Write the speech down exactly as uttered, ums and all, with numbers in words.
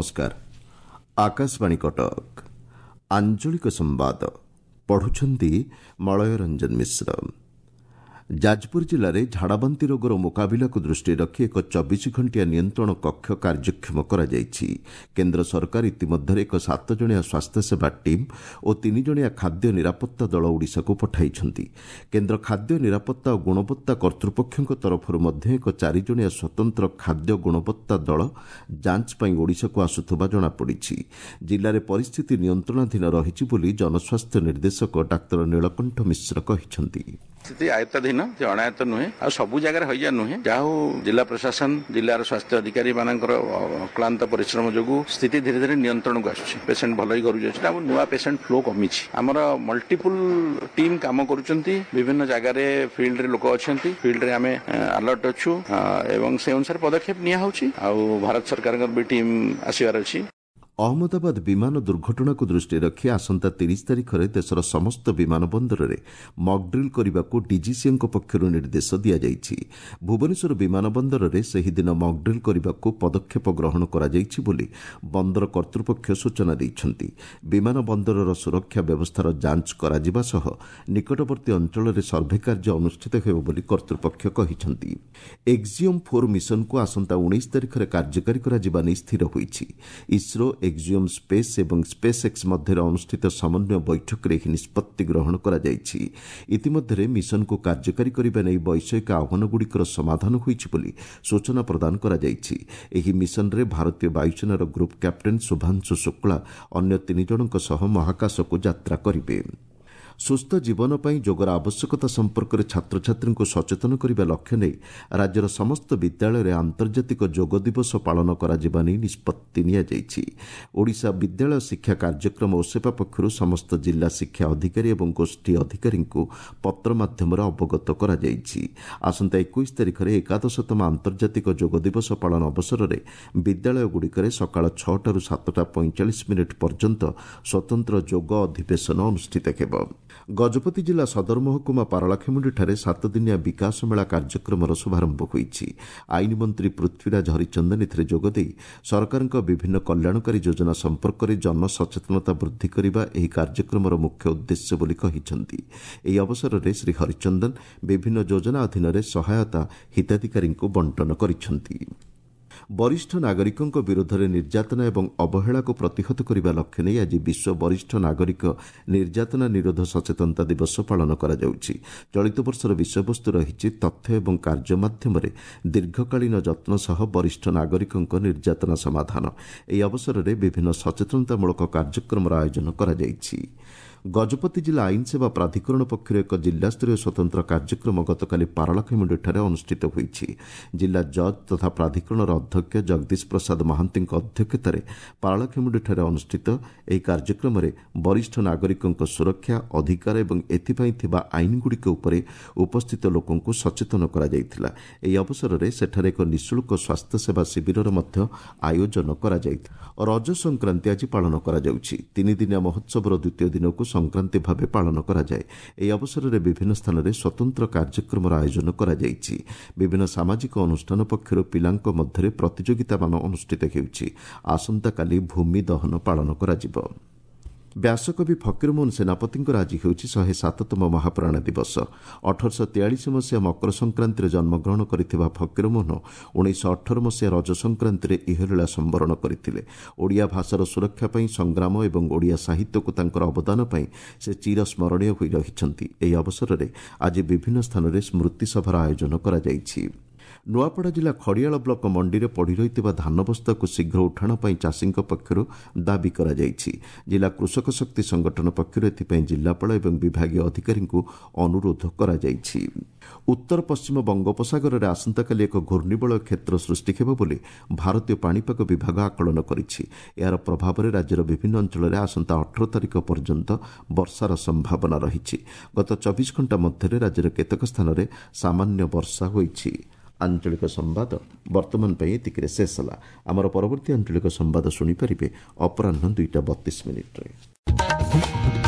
ନମସ୍କାର ଆକାଶବାଣୀ କଟକ ଆଞ୍ଚଳିକ ସମ୍ବାଦ ପଢୁଛନ୍ତି ମଳୟ ରଞ୍ଜନ ମିଶ୍ର ଯାଜପୁର ଜିଲ୍ଲାରେ ଝାଡ଼ାବାନ୍ତି ରୋଗର ମୁକାବିଲାକୁ ଦୃଷ୍ଟିରେ ରଖି ଏକ ଚବିଶ ଘଣ୍ଟିଆ ନିୟନ୍ତ୍ରଣ କକ୍ଷ କାର୍ଯ୍ୟକ୍ଷମ କରାଯାଇଛି କେନ୍ଦ୍ର ସରକାର ଇତିମଧ୍ୟରେ ଏକ ସାତ ଜଣିଆ ସ୍ୱାସ୍ଥ୍ୟସେବା ଟିମ୍ ଓ ତିନି ଜଣିଆ ଖାଦ୍ୟ ନିରାପତ୍ତା ଦଳ ଓଡ଼ିଶାକୁ ପଠାଇଛନ୍ତି କେନ୍ଦ୍ର ଖାଦ୍ୟ ନିରାପତ୍ତା ଓ ଗୁଣବତ୍ତା କର୍ତ୍ତୃପକ୍ଷଙ୍କ ତରଫରୁ ମଧ୍ୟ ଏକ ଚାରି ଜଣିଆ ସ୍ୱତନ୍ତ୍ର ଖାଦ୍ୟ ଗୁଣବତ୍ତା ଦଳ ଯାଞ୍ଚ ପାଇଁ ଓଡ଼ିଶାକୁ ଆସୁଥିବା ଜଣାପଡ଼ିଛି ଜିଲ୍ଲାରେ ପରିସ୍ଥିତି ନିୟନ୍ତ୍ରଣାଧୀନ ରହିଛି ବୋଲି ଜନସ୍ୱାସ୍ଥ୍ୟ ନିର୍ଦ୍ଦେଶକ ଡାକ୍ତର ନୀଳକଣ୍ଠ ମିଶ୍ର କହିଛନ୍ତି ସ୍ଥିତି ଆୟତ୍ତାଧୀନ ସେ ଅଣାୟତ୍ତ ନୁହେଁ ଆଉ ସବୁ ଜାଗାରେ ହଇଜା ନୁହେଁ ଯାହା ହଉ ଜିଲ୍ଲା ପ୍ରଶାସନ ଜିଲ୍ଲାର ସ୍ୱାସ୍ଥ୍ୟ ଅଧିକାରୀ ମାନଙ୍କର ଅକ୍ଳାନ୍ତ ପରିଶ୍ରମ ଯୋଗୁଁ ସ୍ଥିତି ଧୀରେ ଧୀରେ ନିୟନ୍ତ୍ରଣକୁ ଆସୁଛି ପେସେଣ୍ଟ ଭଲ ହେଇ ଘରକୁ ଯାଉଛନ୍ତି ଆମ ନୂଆ ପେସେଣ୍ଟ ଫ୍ଲୋ କମିଛି ଆମର ମଲ୍ଟିପୁଲ ଟିମ୍ କାମ କରୁଛନ୍ତି ବିଭିନ୍ନ ଜାଗାରେ ଫିଲ୍ଡରେ ଲୋକ ଅଛନ୍ତି ଫିଲ୍ଡରେ ଆମେ ଆଲର୍ଟ ଅଛୁ ଏବଂ ସେ ଅନୁସାରେ ପଦକ୍ଷେପ ନିଆହଉଛି ଆଉ ଭାରତ ସରକାରଙ୍କର ବି ଟିମ୍ ଆସିବାର ଅଛି ଅହମ୍ମଦାବାଦ ବିମାନ ଦୁର୍ଘଟଣାକୁ ଦୃଷ୍ଟିରେ ରଖି ଆସନ୍ତା ତିରିଶ ତାରିଖରେ ଦେଶର ସମସ୍ତ ବିମାନ ବନ୍ଦରରେ ମକ୍ଡ୍ରିଲ୍ କରିବାକୁ ଡିଜିସିଏଙ୍କ ପକ୍ଷରୁ ନିର୍ଦ୍ଦେଶ ଦିଆଯାଇଛି ଭୁବନେଶ୍ୱର ବିମାନ ବନ୍ଦରରେ ସେହିଦିନ ମକ୍ଡ୍ରିଲ୍ କରିବାକୁ ପଦକ୍ଷେପ ଗ୍ରହଣ କରାଯାଇଛି ବୋଲି ବନ୍ଦର କର୍ତ୍ତୃପକ୍ଷ ସୂଚନା ଦେଇଛନ୍ତି ବିମାନ ବନ୍ଦରର ସୁରକ୍ଷା ବ୍ୟବସ୍ଥାର ଯାଞ୍ଚ କରାଯିବା ସହ ନିକଟବର୍ତ୍ତୀ ଅଞ୍ଚଳରେ ସର୍ଭେ କାର୍ଯ୍ୟ ଅନୁଷ୍ଠିତ ହେବ ବୋଲି କର୍ତ୍ତୃପକ୍ଷ କହିଛନ୍ତି ଏକ୍ଜିଓମ୍ ଫୋର୍ ମିଶନକୁ ଆସନ୍ତା ଉଣେଇଶ ତାରିଖରେ କାର୍ଯ୍ୟକାରୀ କରାଯିବା ନେଇ ସ୍ଥିର ହୋଇଛି ଇସ୍ରୋ ଏକ୍ଜିଓମ୍ ସ୍ପେସ୍ ଏବଂ ସ୍ପେସ୍ ଏକ୍ସ ମଧ୍ୟରେ ଅନୁଷ୍ଠିତ ସମନ୍ୱୟ ବୈଠକରେ ଏହି ନିଷ୍ପତ୍ତି ଗ୍ରହଣ କରାଯାଇଛି ଇତିମଧ୍ୟରେ ମିଶନକୁ କାର୍ଯ୍ୟକାରୀ କରିବା ନେଇ ବୈଷୟିକ ଆହ୍ୱାନଗୁଡ଼ିକର ସମାଧାନ ହୋଇଛି ବୋଲି ସୂଚନା ପ୍ରଦାନ କରାଯାଇଛି ଏହି ମିଶନରେ ଭାରତୀୟ ବାୟୁସେନାର ଗ୍ରୁପ୍ କ୍ୟାପ୍ଟେନ୍ ଶୁଭାଂଶୁ ଶୁକ୍ଳା ଅନ୍ୟ ତିନି ଜଣଙ୍କ ସହ ମହାକାଶକୁ ଯାତ୍ରା କରିବେ ସୁସ୍ଥ ଜୀବନ ପାଇଁ ଯୋଗର ଆବଶ୍ୟକତା ସମ୍ପର୍କରେ ଛାତ୍ରଛାତ୍ରୀଙ୍କୁ ସଚେତନ କରିବା ଲକ୍ଷ୍ୟ ନେଇ ରାଜ୍ୟର ସମସ୍ତ ବିଦ୍ୟାଳୟରେ ଆନ୍ତର୍ଜାତିକ ଯୋଗ ଦିବସ ପାଳନ କରାଯିବା ନେଇ ନିଷ୍ପତ୍ତି ନିଆଯାଇଛି ଓଡ଼ିଶା ବିଦ୍ୟାଳୟ ଶିକ୍ଷା କାର୍ଯ୍ୟକ୍ରମ ଓସେପା ପକ୍ଷରୁ ସମସ୍ତ ଜିଲ୍ଲା ଶିକ୍ଷା ଅଧିକାରୀ ଏବଂ ଗୋଷ୍ଠୀ ଅଧିକାରୀଙ୍କୁ ପତ୍ର ମାଧ୍ୟମରେ ଅବଗତ କରାଯାଇଛି ଆସନ୍ତା ଏକୋଇଶ ତାରିଖରେ ଏକାଦଶତମ ଆନ୍ତର୍ଜାତିକ ଯୋଗ ଦିବସ ପାଳନ ଅବସରରେ ବିଦ୍ୟାଳୟଗୁଡ଼ିକରେ ସକାଳ ଛଅଟାରୁ ସାତଟା ପଇଁଚାଳିଶ ମିନିଟ୍ ପର୍ଯ୍ୟନ୍ତ ସ୍ୱତନ୍ତ୍ର ଯୋଗ ଅଧିବେଶନ ଅନୁଷ୍ଠିତ ହେବ ଗଜପତି ଜିଲ୍ଲା ସଦର ମହକୁମା ପାରଳାଖେମୁଣ୍ଡିଠାରେ ସାତଦିନିଆ ବିକାଶ ମେଳା କାର୍ଯ୍ୟକ୍ରମର ଶୁଭାରମ୍ଭ ହୋଇଛି ଆଇନ ମନ୍ତ୍ରୀ ପୃଥ୍ୱୀରାଜ ହରିଚନ୍ଦନ ଏଥିରେ ଯୋଗଦେଇ ସରକାରଙ୍କ ବିଭିନ୍ନ କଲ୍ୟାଣକାରୀ ଯୋଜନା ସମ୍ପର୍କରେ ଜନସଚେତନତା ବୃଦ୍ଧି କରିବା ଏହି କାର୍ଯ୍ୟକ୍ରମର ମୁଖ୍ୟ ଉଦ୍ଦେଶ୍ୟ ବୋଲି କହିଛନ୍ତି ଏହି ଅବସରରେ ଶ୍ରୀ ହରିଚନ୍ଦନ ବିଭିନ୍ନ ଯୋଜନା ଅଧୀନରେ ସହାୟତା ହିତାଧିକାରୀଙ୍କୁ ବଣ୍ଟନ କରିଛନ୍ତି ବରିଷ୍ଠ ନାଗରିକଙ୍କ ବିରୋଧରେ ନିର୍ଯାତନା ଏବଂ ଅବହେଳାକୁ ପ୍ରତିହତ କରିବା ଲକ୍ଷ୍ୟ ନେଇ ଆଜି ବିଶ୍ୱ ବରିଷ୍ଠ ନାଗରିକ ନିର୍ଯାତନା ନିରୋଧ ସଚେତନତା ଦିବସ ପାଳନ କରାଯାଉଛି ଚଳିତ ବର୍ଷର ବିଷୟବସ୍ତୁ ରହିଛି ତଥ୍ୟ ଏବଂ କାର୍ଯ୍ୟ ମାଧ୍ୟମରେ ଦୀର୍ଘକାଳୀନ ଯତ୍ନ ସହ ବରିଷ୍ଠ ନାଗରିକଙ୍କ ନିର୍ଯାତନା ସମାଧାନ ଏହି ଅବସରରେ ବିଭିନ୍ନ ସଚେତନତାମୂଳକ କାର୍ଯ୍ୟକ୍ରମର ଆୟୋଜନ କରାଯାଇଛି ଗଜପତି ଜିଲ୍ଲା ଆଇନ ସେବା ପ୍ରାଧିକରଣ ପକ୍ଷରୁ ଏକ ଜିଲ୍ଲାସ୍ତରୀୟ ସ୍ୱତନ୍ତ୍ର କାର୍ଯ୍ୟକ୍ରମ ଗତକାଲି ପାରଳାଖେମୁଣ୍ଡିଠାରେ ଅନୁଷ୍ଠିତ ହୋଇଛି ଜିଲ୍ଲା ଜଜ୍ ତଥା ପ୍ରାଧିକରଣର ଅଧ୍ୟକ୍ଷ ଜଗଦୀଶ ପ୍ରସାଦ ମହାନ୍ତିଙ୍କ ଅଧ୍ୟକ୍ଷତାରେ ପାରଳାଖେମୁଣ୍ଡିଠାରେ ଅନୁଷ୍ଠିତ ଏହି କାର୍ଯ୍ୟକ୍ରମରେ ବରିଷ୍ଠ ନାଗରିକଙ୍କ ସୁରକ୍ଷା ଅଧିକାର ଏବଂ ଏଥିପାଇଁ ଥିବା ଆଇନଗୁଡ଼ିକ ଉପରେ ଉପସ୍ଥିତ ଲୋକଙ୍କୁ ସଚେତନ କରାଯାଇଥିଲା ଏହି ଅବସରରେ ସେଠାରେ ଏକ ନିଃଶୁଳ୍କ ସ୍ୱାସ୍ଥ୍ୟସେବା ଶିବିରର ମଧ୍ୟ ଆୟୋଜନ କରାଯାଇଥିଲା ରଜ ସଂକ୍ରାନ୍ତି ଆଜି ପାଳନ କରାଯାଉଛି ତିନିଦିନିଆ ମହୋତ୍ସବର ଦ୍ୱିତୀୟ ଦିନକୁ ସଂକ୍ରାନ୍ତି ଭାବେ ପାଳନ କରାଯାଏ ଏହି ଅବସରରେ ବିଭିନ୍ନ ସ୍ଥାନରେ ସ୍ୱତନ୍ତ୍ର କାର୍ଯ୍ୟକ୍ରମର ଆୟୋଜନ କରାଯାଇଛି ବିଭିନ୍ନ ସାମାଜିକ ଅନୁଷ୍ଠାନ ପକ୍ଷରୁ ପିଲାଙ୍କ ମଧ୍ୟରେ ପ୍ରତିଯୋଗିତାମାନ ଅନୁଷ୍ଠିତ ହେଉଛି ଆସନ୍ତାକାଲି ଭୂମି ଦହନ ପାଳନ କରାଯିବ ବ୍ୟାସକବି ଫକୀରମୋହନ ସେନାପତିଙ୍କର ଆଜି ହେଉଛି ଶହେ ସାତତମ ମହାପ୍ରାଣ ଦିବସ ଅଠରଶହ ତେୟାଳିଶ ମସିହା ମକର ସଂକ୍ରାନ୍ତିରେ ଜନ୍ମଗ୍ରହଣ କରିଥିବା ଫକୀରମୋହନ ଉଣେଇଶହ ଅଠର ମସିହା ରଜ ସଂକ୍ରାନ୍ତିରେ ଇହଲୀଳା ସମ୍ବରଣ କରିଥିଲେ ଓଡ଼ିଆ ଭାଷାର ସୁରକ୍ଷା ପାଇଁ ସଂଗ୍ରାମ ଏବଂ ଓଡ଼ିଆ ସାହିତ୍ୟକୁ ତାଙ୍କର ଅବଦାନ ପାଇଁ ସେ ଚିରସ୍ମରଣୀୟ ହୋଇ ରହିଛନ୍ତି ଏହି ଅବସରରେ ଆଜି ବିଭିନ୍ନ ସ୍ଥାନରେ ସ୍ମୃତିସଭାର ଆୟୋଜନ କରାଯାଇଛି ନୂଆପଡ଼ା ଜିଲ୍ଲା ଖଡ଼ିଆଳ ବ୍ଲକ ମଣ୍ଡିରେ ପଡ଼ି ରହିଥିବା ଧାନ ବସ୍ତାକୁ ଶୀଘ୍ର ଉଠାଣ ପାଇଁ ଚାଷୀଙ୍କ ପକ୍ଷରୁ ଦାବି କରାଯାଇଛି ଜିଲ୍ଲା କୃଷକ ଶକ୍ତି ସଂଗଠନ ପକ୍ଷରୁ ଏଥିପାଇଁ ଜିଲ୍ଲାପାଳ ଏବଂ ବିଭାଗୀୟ ଅଧିକାରୀଙ୍କୁ ଅନୁରୋଧ କରାଯାଇଛି ଉତ୍ତର ପଶ୍ଚିମ ବଙ୍ଗୋପସାଗରରେ ଆସନ୍ତାକାଲି ଏକ ଘୂର୍ଣ୍ଣିବଳୟ କ୍ଷେତ୍ର ସୃଷ୍ଟି ହେବ ବୋଲି ଭାରତୀୟ ପାଣିପାଗ ବିଭାଗ ଆକଳନ କରିଛି ଏହାର ପ୍ରଭାବରେ ରାଜ୍ୟର ବିଭିନ୍ନ ଅଞ୍ଚଳରେ ଆସନ୍ତା ଅଠର ତାରିଖ ପର୍ଯ୍ୟନ୍ତ ବର୍ଷାର ସମ୍ଭାବନା ରହିଛି ଗତ ଚବିଶ ଘଣ୍ଟା ମଧ୍ୟରେ ରାଜ୍ୟର କେତେକ ସ୍ଥାନରେ ସାମାନ୍ୟ ବର୍ଷା ହୋଇଛି ଆଞ୍ଚଳିକ ସମ୍ବାଦ ବର୍ତ୍ତମାନ ପାଇଁ ଏତିକିରେ ଶେଷ ହେଲା ଆମର ପରବର୍ତ୍ତୀ ଆଞ୍ଚଳିକ ସମ୍ବାଦ ଶୁଣିପାରିବେ ଅପରାହ୍ନ ଦୁଇଟା ବତିଶ ମିନିଟ୍ରେ